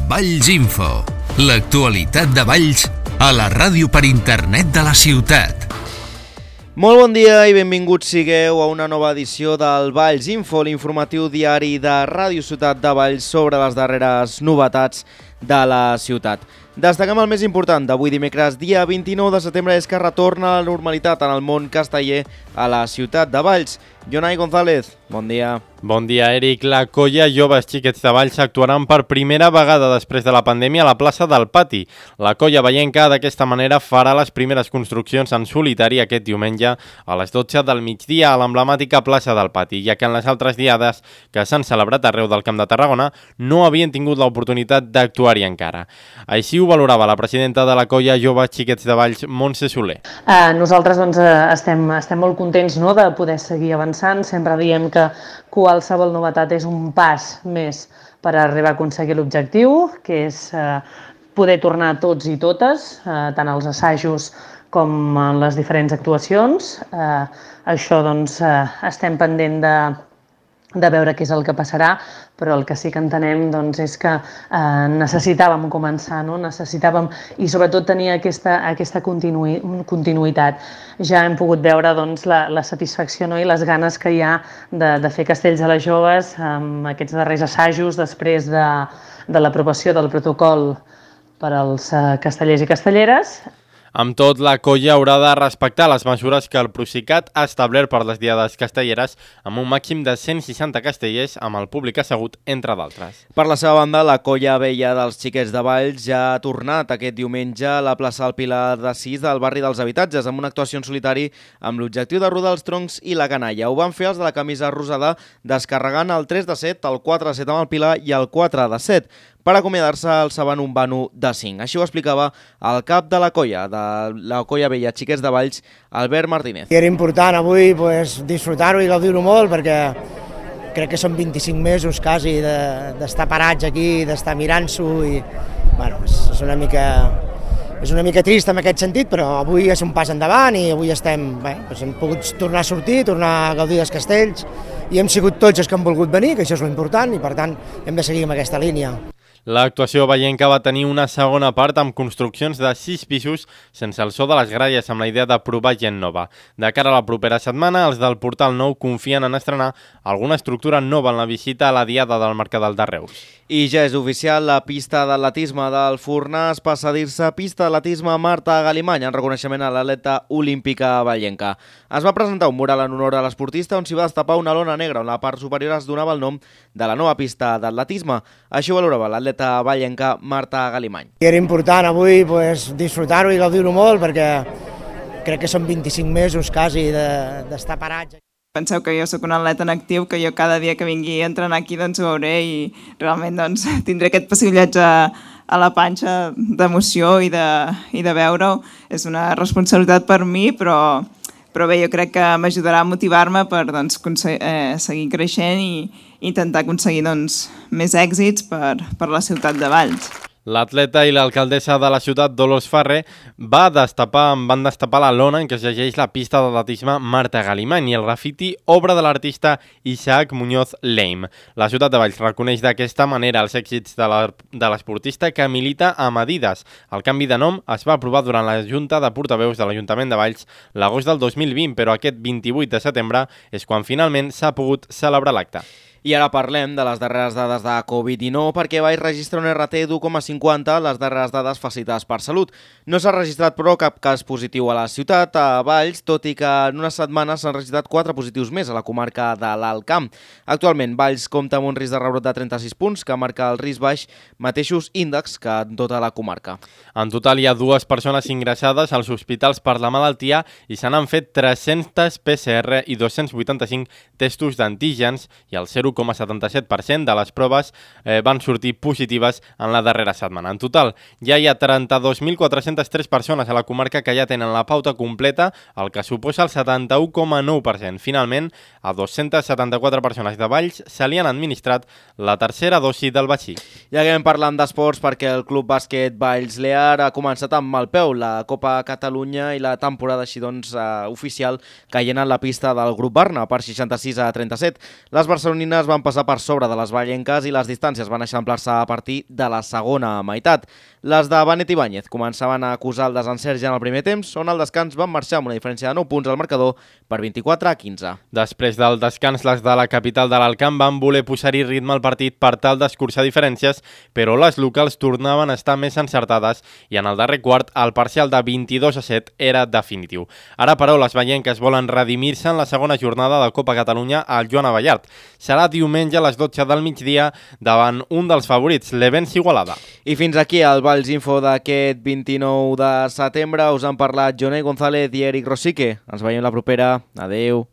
Valls Info, l'actualitat de Valls a la ràdio per internet de la ciutat. Molt bon dia i benvinguts sigueu a una nova edició del Valls Info, l'informatiu diari de Ràdio Ciutat de Valls sobre les darreres novetats de la ciutat. Destaquem el més important d'avui dimecres, dia 29 de setembre, és que retorna a la normalitat en el món casteller a la ciutat de Valls. Jonai González, bon dia. Bon dia, Eric. La colla Joves Xiquets de Valls actuaran per primera vegada després de la pandèmia a la plaça del Pati. La colla vallenca d'aquesta manera farà les primeres construccions en solitari aquest diumenge a les 12 del migdia a l'emblemàtica plaça del Pati, ja que en les altres diades que s'han celebrat arreu del Camp de Tarragona no havien tingut l'oportunitat d'actuar-hi encara. Així ho valorava la presidenta de la colla Joves Xiquets de Valls, Montse Soler. Nosaltres estem molt contents, no, de poder seguir avançant. Sempre diem que qualsevol novetat és un pas més per arribar a aconseguir l'objectiu, que és poder tornar tots i totes, tant als assajos com en les diferents actuacions. Això doncs estem pendent de veure què és el que passarà, però el que sí que entenem doncs, és que necessitàvem començar, no? Necessitàvem i sobretot tenir aquesta continuïtat. Ja hem pogut veure doncs, la satisfacció, no? I les ganes que hi ha de fer castells a les joves amb aquests darrers assajos després de l'aprovació del protocol per als castellers i castelleres. Amb tot, la colla haurà de respectar les mesures que el Procicat ha establert per les diades castelleres amb un màxim de 160 castellers amb el públic assegut, entre d'altres. Per la seva banda, la colla vella dels Xiquets de Valls ja ha tornat aquest diumenge a la plaça del Pilar de Sis del barri dels Habitatges amb una actuació en solitari amb l'objectiu de rodar els troncs i la canalla. Ho van fer els de la camisa rosada descarregant el 3 de 7, el 4 de 7 amb el Pilar i el 4 de 7. Per acomiadar-se alçaven un vano de 5. Així ho explicava el cap de la colla vella Xiquets de Valls, Albert Martínez. I era important avui disfrutar-ho i gaudir-ho molt perquè crec que són 25 mesos quasi d'estar parats aquí, d'estar mirant-s'ho i bueno, és una mica trist en aquest sentit, però avui és un pas endavant i avui hem pogut tornar a sortir, tornar a gaudir dels castells i hem sigut tots els que han volgut venir, que això és l'important i per tant hem de seguir amb aquesta línia. L'actuació vallenca va tenir una segona part amb construccions de 6 pisos sense el so de les gralles amb la idea de provar gent nova. De cara a la propera setmana, els del Portal Nou confien en estrenar alguna estructura nova en la visita a la diada del Mercadal de Reus. I ja és oficial, la pista d'atletisme del Fornàs passa a dir-se pista d'atletisme Marta Galimany en reconeixement a l'atleta olímpica vallenca. Es va presentar un mural en honor a l'esportista on s'hi va destapar una lona negra on la part superior es donava el nom de la nova pista d'atletisme. Així ho valorava l'atleta vallenca Marta Galimany. I era important avui disfrutar-ho i gaudir-ho molt perquè crec que són 25 mesos quasi d'estar parats. Penseu que jo sóc un atleta en actiu, que jo cada dia que vingui a entrenar aquí doncs, ho veuré i realment doncs, tindré aquest pessigollatge a la panxa d'emoció i de veure-ho. És una responsabilitat per mi, però bé, jo crec que m'ajudarà a motivar-me per doncs, seguir creixent i intentar aconseguir doncs, més èxits per la ciutat de Valls. L'atleta i l'alcaldessa de la ciutat, Dolors Ferrer, van destapar la lona en què es llegeix la pista d'atletisme Marta Galimany i el grafiti obra de l'artista Isaac Muñoz Leim. La ciutat de Valls reconeix d'aquesta manera els èxits de l'esportista que milita amb Adidas. El canvi de nom es va aprovar durant la Junta de Portaveus de l'Ajuntament de Valls l'agost del 2020, però aquest 28 de setembre és quan finalment s'ha pogut celebrar l'acte. I ara parlem de les darreres dades de Covid-19 perquè Valls registra un RT d'1,50, les darreres dades facilitades per Salut. No s'ha registrat però cap cas positiu a la ciutat, a Valls, tot i que en una setmana s'han registrat 4 positius més a la comarca de l'Alt Camp. Actualment, Valls compta amb un risc de rebrot de 36 punts, que marca el risc baix, mateixos índexs que en tota la comarca. En total hi ha 2 persones ingressades als hospitals per la malaltia i se n'han fet 300 PCR i 285 testos d'antígens i el 0,77% de les proves van sortir positives en la darrera setmana. En total, ja hi ha 32.403 persones a la comarca que ja tenen la pauta completa, el que suposa el 71,9%. Finalment, a 274 persones de Valls se li han administrat la tercera dosi del vaccí. I acabem parlant d'esports perquè el Club Bàsquet Valls Lear ha començat amb mal peu la Copa Catalunya i la temporada així oficial caient en la pista del Grup Barna per 66-37. Les barcelonines tarragonines van passar per sobre de les vallenques i les distàncies van eixamplar-se a partir de la segona meitat. Les de Benet Ibáñez començaven a acusar el desencert ja en el primer temps, on al descans van marxar amb una diferència de 9 punts al marcador per 24-15. Després del descans, les de la capital de l'Alcamp van voler posar-hi ritme al partit per tal d'escurçar diferències, però les locals tornaven a estar més encertades i en el darrer quart el parcial de 22-7 era definitiu. Ara, però, les vallenques volen redimir-se en la segona jornada de Copa Catalunya al Joan Abellart. Serà diumenge a les 12 del migdia davant un dels favorits, l'Evens Igualada. I fins aquí el Valls Info d'aquest 29 de setembre. Us han parlat Jonai González i Eric Rosique. Ens veiem la propera. Adeu.